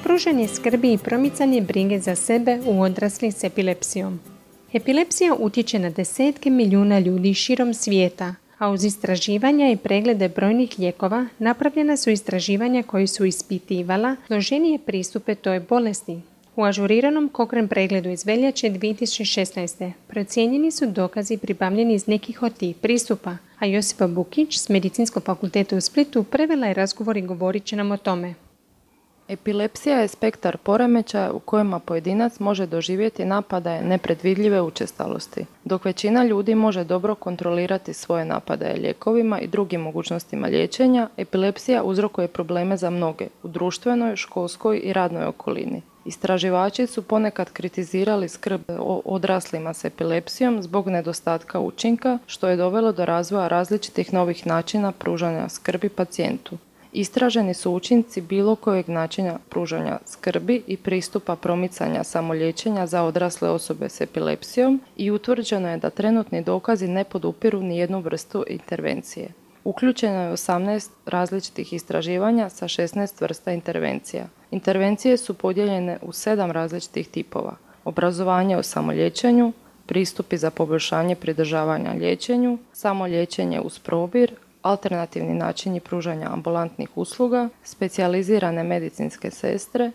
Pružanje skrbi i promicanje brige za sebe u odraslih s epilepsijom. Epilepsija utječe na desetke milijuna ljudi širom svijeta, a uz istraživanja i preglede brojnih lijekova napravljena su istraživanja koji su ispitivala složenije pristupe toj bolesti. U ažuriranom Cochrane pregledu iz veljače 2016. procijenjeni su dokazi pribavljeni iz nekih od tih pristupa, a Josipa Bukić s Medicinskog fakulteta u Splitu prevela je razgovor i govorit će nam o tome. Epilepsija je spektar poremećaja u kojima pojedinac može doživjeti napadaje nepredvidljive učestalosti. Dok većina ljudi može dobro kontrolirati svoje napadaje lijekovima i drugim mogućnostima liječenja, epilepsija uzrokuje probleme za mnoge u društvenoj, školskoj i radnoj okolini. Istraživači su ponekad kritizirali skrb o odraslima s epilepsijom zbog nedostatka učinka, što je dovelo do razvoja različitih novih načina pružanja skrbi pacijentu. Istraženi su učinci bilo kojeg načina pružanja skrbi i pristupa promicanja samoliječenja za odrasle osobe s epilepsijom i utvrđeno je da trenutni dokazi ne podupiru ni jednu vrstu intervencije. Uključeno je 18 različitih istraživanja sa 16 vrsta intervencija. Intervencije su podijeljene u 7 različitih tipova: obrazovanje o samoliječenju, pristupi za poboljšanje pridržavanja liječenju, samoliječenje uz probir, alternativni načini pružanja ambulantnih usluga, specijalizirane medicinske sestre,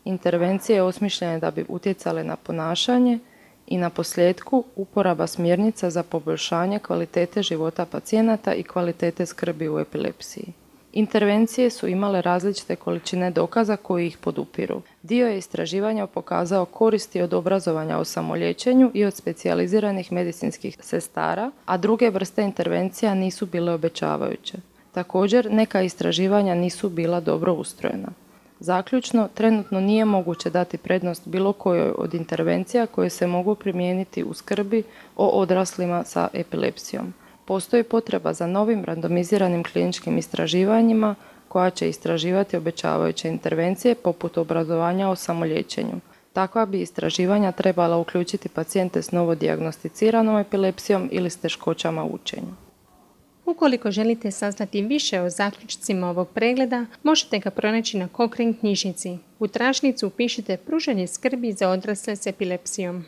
intervencije osmišljene da bi utjecale na ponašanje i na posljedku uporaba smjernica za poboljšanje kvalitete života pacijenata i kvalitete skrbi u epilepsiji. Intervencije su imale različite količine dokaza koji ih podupiru. Dio je istraživanja pokazao koristi od obrazovanja o samoliječenju i od specijaliziranih medicinskih sestara, a druge vrste intervencija nisu bile obećavajuće. Također, neka istraživanja nisu bila dobro ustrojena. Zaključno, trenutno nije moguće dati prednost bilo kojoj od intervencija koje se mogu primijeniti u skrbi o odraslima sa epilepsijom. Postoji potreba za novim randomiziranim kliničkim istraživanjima koja će istraživati obećavajuće intervencije poput obrazovanja o samoliječenju. Takva bi istraživanja trebala uključiti pacijente s novodijagnosticiranom epilepsijom ili s teškoćama u učenju. Ukoliko želite saznati više o zaključcima ovog pregleda, možete ga pronaći na Cochrane knjižnici. U tražnicu upišite pružanje skrbi za odrasle s epilepsijom.